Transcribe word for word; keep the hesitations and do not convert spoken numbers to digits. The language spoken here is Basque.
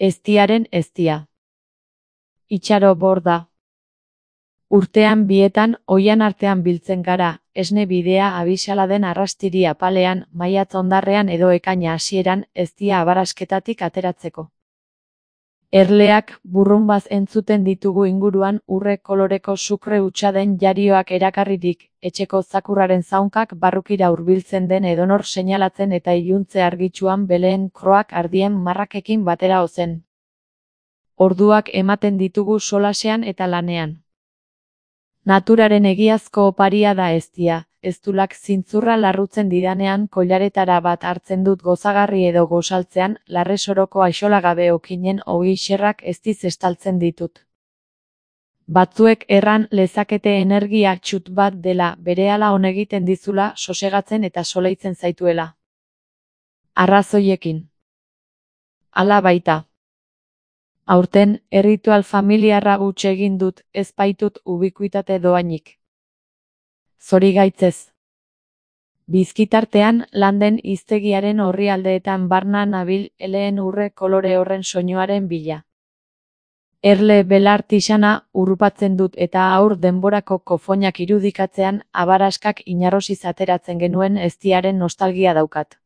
Eztiaren eztia. Itxaro borda. Urtean bietan oihan artean biltzen gara, esne bidea abisala den arrastiri apalean, maiatz hondarrean edo ekaina hasieran, eztia abarasketatik ateratzeko. Erleak burrunbaz entzuten ditugu inguruan urre koloreko sukre hutsa den jarioak erakarririk, etxeko zakurraren zaunkak barrukira hurbiltzen den edonor seinalatzen eta iluntze argitsuan beleen kroak ardien marrakekin batera ozen. Orduak ematen ditugu solasean eta lanean. Naturaren egiazko oparia da eztia, eztulak zintzurra larrutzen didanean koilaretara bat hartzen dut gozagarri edo gosaltzean, larre soroko aixolagabe okinen ogi xerrak eztiz estaltzen ditut. Batzuek erran lezakete energia txut bat dela, berehala on egiten dizula, sosegatzen eta soleitzen zaituela. Arrazoiekin. Hala baita. Aurten, erritual familiarra huts egin dut, ez baitut ubikuitate doainik. Zorigaitzez. Bizkitartean, landen hiztegiaren orrialdeetan barna nabil eleen urre kolore horren soinuaren bila. Erle belar tixana urrupatzen dut eta aur denborako kofoinak irudikatzean, abaraskak inarrosiz ateratzen genuen eztiaren nostalgia daukat.